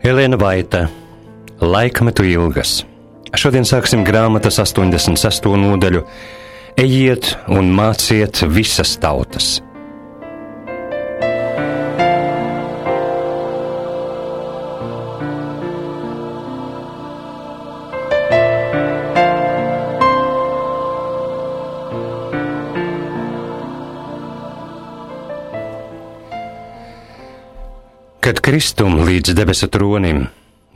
Elēna Vaita, Laikmetu ilgas. Šodien sāksim grāmatas 86. nodaļu Ejiet un māciet visas tautas. Kad Kristum līdz debesu tronim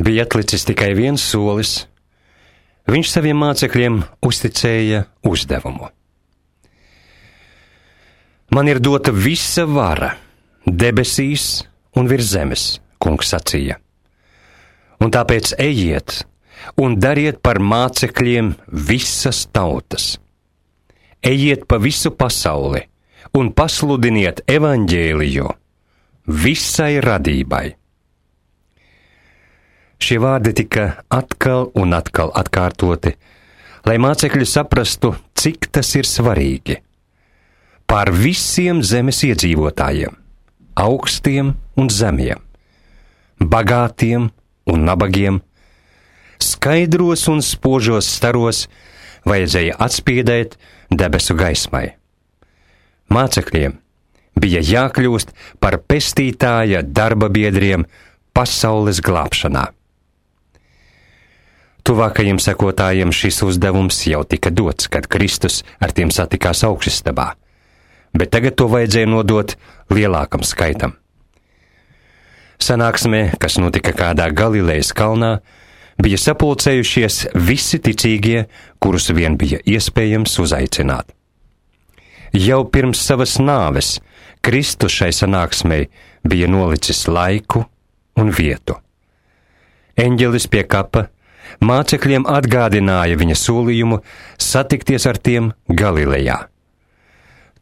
bija atlicis tikai viens solis, viņš saviem mācekļiem uzticēja uzdevumu. Man ir dota visa vara debesīs un virs zemes, kungs sacīja. Un tāpēc ejiet un dariet par mācekļiem visas tautas. Ejiet pa visu pasauli un pasludiniet evaņģēliju visai radībai. Šie vārdi tika atkal un atkal atkārtoti, lai mācekļi saprastu, cik tas ir svarīgi. Pār visiem zemes iedzīvotājiem, augstiem un zemiem, bagātiem un nabagiem, skaidros un spožos staros vajadzēja atspiedēt debesu gaismai. Mācekļiem bija jākļūst par pestītāja darba biedriem pasaules glābšanā. Tuvākajiem sekotājiem šis uzdevums jau tika dots, kad Kristus ar tiem satikās augšistabā, bet tagad to vajadzēja nodot lielākam skaitam. Sanāksmē, kas notika kādā Galilejas kalnā, bija sapulcējušies visi ticīgie, kurus vien bija iespējams uzaicināt. Jau pirms savas nāves Kristus šai sanāksmei bija nolicis laiku un vietu. Eņģelis pie kapa mācekļiem atgādināja viņa solījumu satikties ar tiem Galilejā.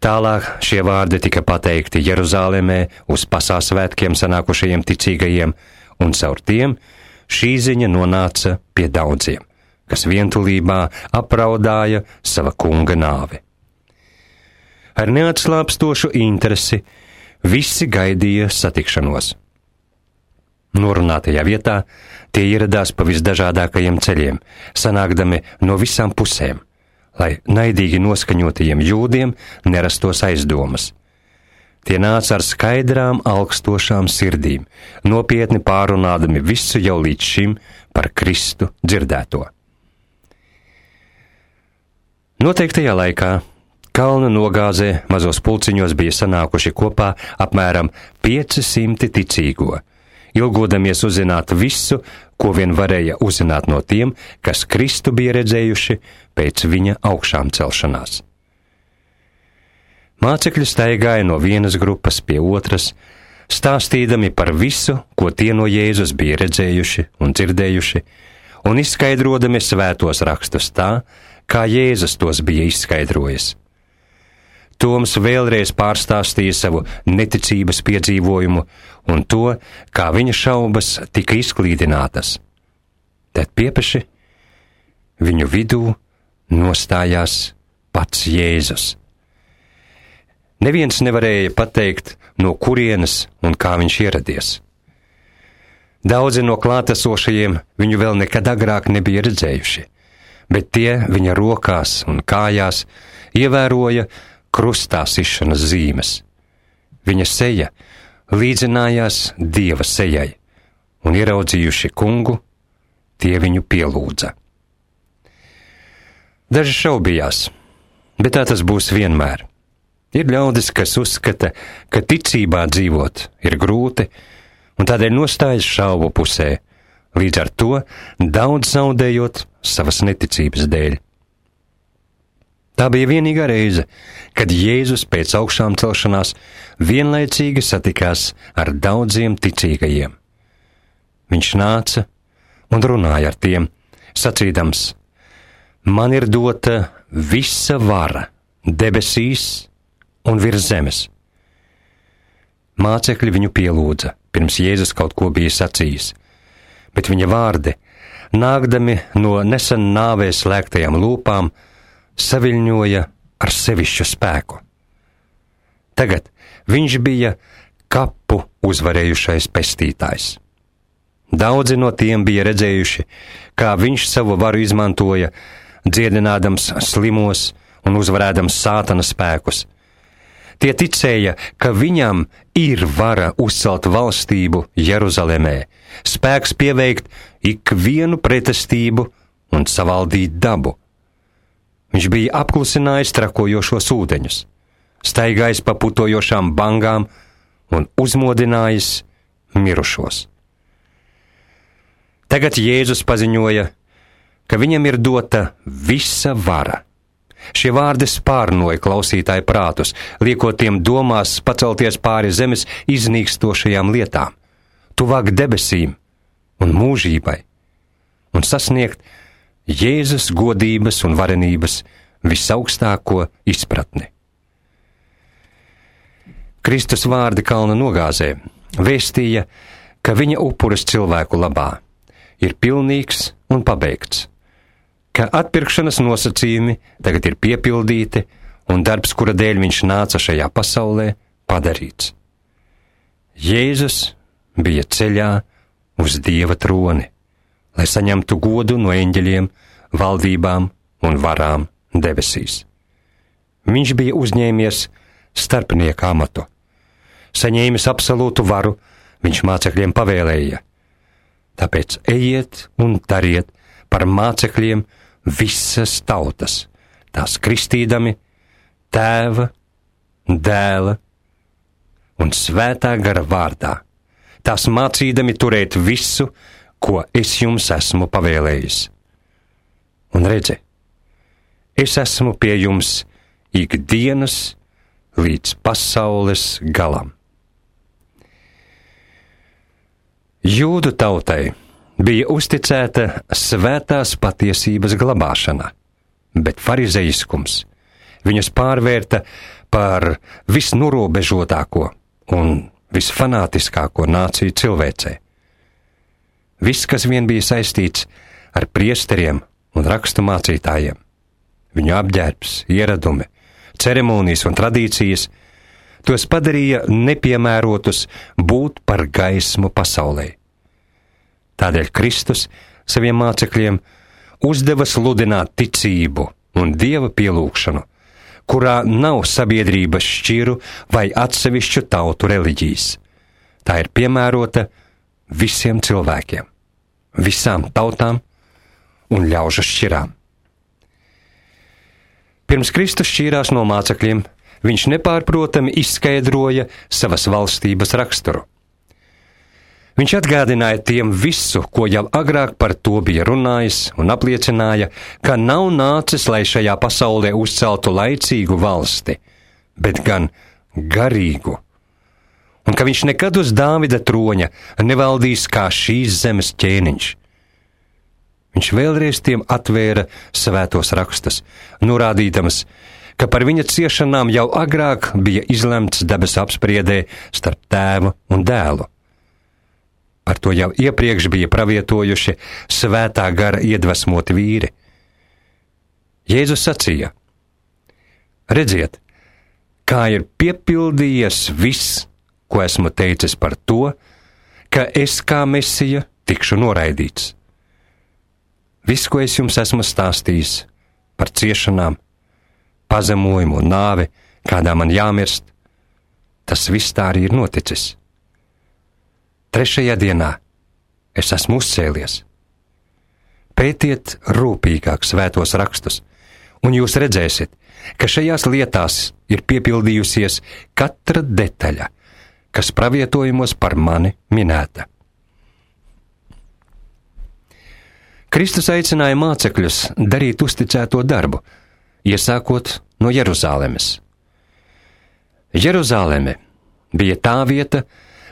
Tālāk šie vārdi tika pateikti Jeruzālēmē uz pasāsvētkiem sanākušajiem ticīgajiem, un caur tiem šī ziņa nonāca pie daudziem, kas vientulībā apraudāja sava kunga nāvi. Ar neatslāpstošu interesi visi gaidīja satikšanos. Norunātajā vietā tie ieradās pa visdažādākajiem ceļiem, sanākdami no visām pusēm, lai naidīgi noskaņotajiem jūdiem nerastos aizdomas. Tie nāca ar skaidrām, augstošām sirdīm, nopietni pārunādami visu jau līdz šim par Kristu dzirdēto. Noteiktajā laikā kalna nogāzē mazos pulciņos bija sanākuši kopā apmēram 500 ticīgo, ilgodamies uzzināt visu, ko vien varēja uzzināt no tiem, kas Kristu bija redzējuši pēc viņa augšām celšanās. Mācekļi staigāja no vienas grupas pie otras, stāstīdami par visu, ko tie no Jēzus bija redzējuši un dzirdējuši, un izskaidrodami svētos rakstus tā, kā Jēzus tos bija izskaidrojis. Toms vēlreiz pārstāstīja savu neticības piedzīvojumu un to, kā viņa šaubas tika izklīdinātas. Tad piepeši viņu vidū nostājās pats Jēzus. Neviens nevarēja pateikt, no kurienes un kā viņš ieradies. Daudzi no klātesošajiem viņu vēl nekad agrāk nebija redzējuši, bet tie viņa rokās un kājās ievēroja krustā sišanas zīmes. Viņa seja līdzinājās Dieva sejai, un ieraudzījuši kungu, tie viņu pielūdza. Daži šaubījās, bet tā tas būs vienmēr. Ir ļaudis, kas uzskata, ka ticībā dzīvot ir grūti, un tādēļ nostājas šaubu pusē, līdz ar to daudz zaudējot savas neticības dēļ. Tā bija vienīgā reize, kad Jēzus pēc augšām celšanās vienlaicīgi satikās ar daudziem ticīgajiem. Viņš nāca un runāja ar tiem, sacīdams: Man ir dota visa vara debesīs un virs zemes. Mācekļi viņu pielūdza, pirms Jēzus kaut ko bija sacījis, bet viņa vārdi, nākdami no nesen nāvē slēgtajām lūpām, saviļņoja ar sevišķu spēku. Tagad viņš bija kapu uzvarējušais pestītājs. Daudzi no tiem bija redzējuši, kā viņš savu varu izmantoja, dziedinādams slimos un uzvarēdams sātana spēkus. Tie ticēja, ka viņam ir vara uzcelt valstību Jeruzalemē, spēks pieveikt ikvienu pretestību un savaldīt dabu. Viņš bija apklusinājis trakojošos ūdeņus, staigājis pa putojošām bangām un uzmodinājis mirušos. Tagad Jēzus paziņoja, ka viņam ir dota visa vara. Šie vārdi spārnoja klausītāju prātus, liekot tiem domās pacelties pāri zemes iznīkstošajām lietām, tuvāk debesīm un mūžībai, un sasniegt Jēzus godības un varenības visaugstāko izpratni. Kristus vārdi kalna nogāzē vēstīja, ka viņa upuris cilvēku labā ir pilnīgs un pabeigts, ka atpirkšanas nosacījumi tagad ir piepildīti un darbs, kura dēļ viņš nāca šajā pasaulē, padarīts. Jēzus bija ceļā uz Dieva troni, lai saņemtu godu no eņģeļiem, valdībām un varām debesīs. Viņš bija uzņēmies starpnieka amatu. Saņēmis absolūtu varu, viņš mācekļiem pavēlēja: tāpēc ejiet un dariet par mācekļiem visas tautas, tās kristīdami Tēva, Dēla un Svētā gara vārdā, tās mācīdami turēt visu, ko es jums esmu pavēlējis. Un redzi, es esmu pie jums ikdienas līdz pasaules galam. Jūdu tautai bija uzticēta svētās patiesības glabāšana, bet farizeiskums viņus pārvērta par visnorobežotāko un visfanātiskāko nāciju cilvēcē. Viss, kas vien bija saistīts ar priesteriem un rakstu mācītājiem, viņu apģērbs, ieradumi, ceremonijas un tradīcijas, tos padarīja nepiemērotus būt par gaismu pasaulē. Tādēļ Kristus saviem mācekļiem uzdeva sludināt ticību un Dieva pielūgšanu, kurā nav sabiedrības šķiru vai atsevišķu tautu reliģijas. Tā ir piemērota visiem cilvēkiem, visām tautām un ļaužu šķirām. Pirms Kristus šķīrās no mācekļiem, viņš nepārprotami izskaidroja savas valstības raksturu. Viņš atgādināja tiem visu, ko jau agrāk par to bija runājis, un apliecināja, ka nav nācis, lai šajā pasaulē uzceltu laicīgu valsti, bet gan garīgu, un ka viņš nekad uz Dāvida troņa nevaldīs kā šīs zemes ķēniņš. Viņš vēlreiz tiem atvēra svētos rakstus, norādīdams, ka par viņa ciešanām jau agrāk bija izlemts debesu apspriedē starp Tēvu un Dēlu. Par to jau iepriekš bija pravietojuši Svētā gara iedvesmoti vīri. Jēzus sacīja: redziet, kā ir piepildījies viss, ko esmu teicis par to, ka es kā Mesija tikšu noraidīts. Viss, ko es jums esmu stāstījis par ciešanām, pazemojumu un nāvi, kādā man jāmirst, tas viss tā arī ir noticis. 3. dienā es esmu uzcēlies. Pētiet rūpīgāk svētos rakstus, un jūs redzēsiet, ka šajās lietās ir piepildījusies katra detaļa, kas pravietojumos par mani minēta. Kristus aicināja mācekļus darīt uzticēto darbu, iesākot no Jeruzālemes. Jeruzāleme bija tā vieta,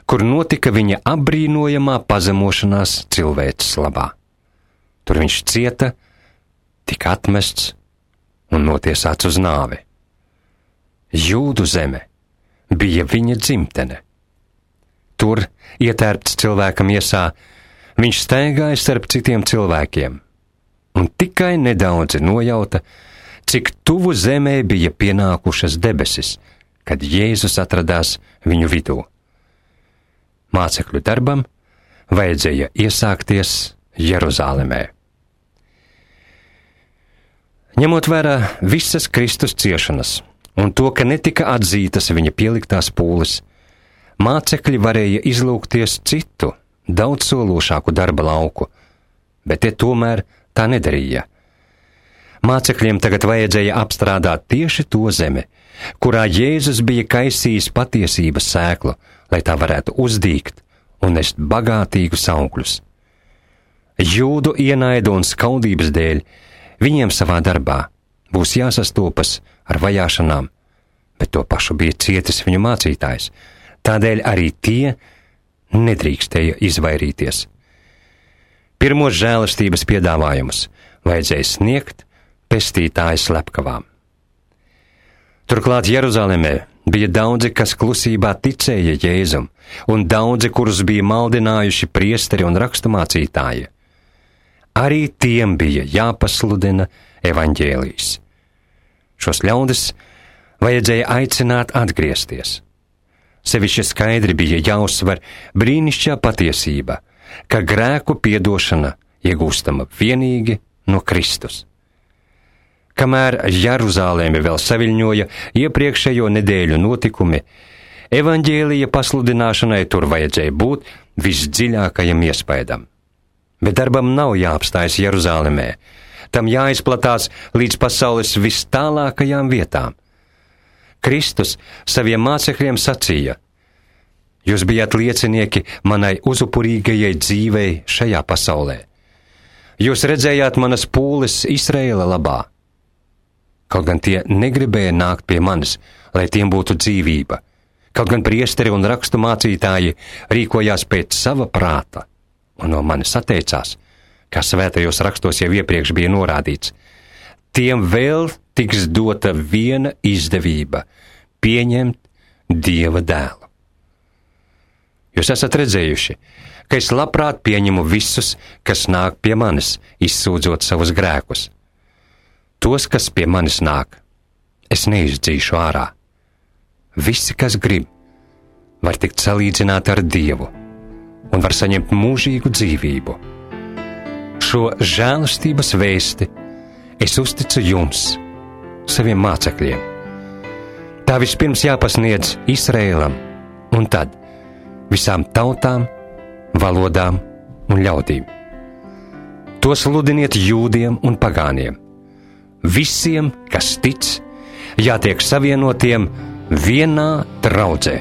kur notika viņa apbrīnojamā pazemošanās cilvēces labā. Tur viņš cieta, tika atmests un notiesāts uz nāvi. Jūdu zeme bija viņa dzimtene. Tur, ietērpts cilvēka miesā, viņš staigāja starp citiem cilvēkiem, un tikai nedaudzi nojauta, cik tuvu zemē bija pienākušas debesis, kad Jēzus atradās viņu vidū. Mācekļu darbam vajadzēja iesākties Jeruzālemē. Ņemot vērā visas Kristus ciešanas un to, ka netika atzītas viņa pieliktās pūles, mācekļi varēja izlūgties citu, daudz sološāku darba lauku, bet tie tomēr tā nedarīja. Mācekļiem tagad vajadzēja apstrādāt tieši to zemi, kurā Jēzus bija kaisījis patiesības sēklu, lai tā varētu uzdīgt un nest bagātīgus augļus. Jūdu ienaidu un skaudības dēļ viņiem savā darbā būs jāsastopas ar vajāšanām, bet to pašu bija cietis viņu mācītājs, tādēļ arī tie nedrīkstēja izvairīties. Pirmos žēlastības piedāvājumus vajadzēja sniegt pestītāja slepkavām. Turklāt Jeruzālemē bija daudzi, kas klusībā ticēja Jēzum, un daudzi, kurus bija maldinājuši priesteri un raksturmācītāji. Arī tiem bija jāpasludina evaņģēlijs. Šos ļaudis vajadzēja aicināt atgriezties. Sevišķi skaidri bija jāuzsver brīnišķīgā patiesība, ka grēku piedošana iegūstama vienīgi no Kristus. Kamēr Jeruzālēmi vēl saviļņoja iepriekšējo nedēļu notikumi, evaņģēlija pasludināšanai tur vajadzēja būt visdziļākajam iespaidam. Bet darbam nav jāapstājas Jeruzālemē, tam jāizplatās līdz pasaules vistālākajām vietām. Kristus saviem mācekļiem sacīja: jūs bijāt liecinieki manai uzupurīgajai dzīvei šajā pasaulē. Jūs redzējāt manas pūles Izraēla labā. Kaut gan tie negribēja nākt pie manis, lai tiem būtu dzīvība. Kaut gan priesteri un rakstu mācītāji rīkojās pēc sava prāta un no manis atteicās, kā svētajos rakstos jau iepriekš bija norādīts. Tiem vēl tiks dota viena izdevība – pieņemt Dieva dēlu. Jūs esat redzējuši, ka es labprāt pieņemu visus, kas nāk pie manis, izsūdzot savus grēkus. Tos, kas pie manis nāk, es neizdzīšu ārā. Visi, kas grib, var tikt salīdzināti ar Dievu un var saņemt mūžīgu dzīvību. Šo žēlastības vēsti es uzticu jums, saviem mācekļiem. Tā vispirms jāpasniedz Izraēlam un tad visām tautām, valodām un ļaudīm. To sludiniet jūdiem un pagāniem. Visiem, kas tic, jātiek savienotiem vienā draudzē.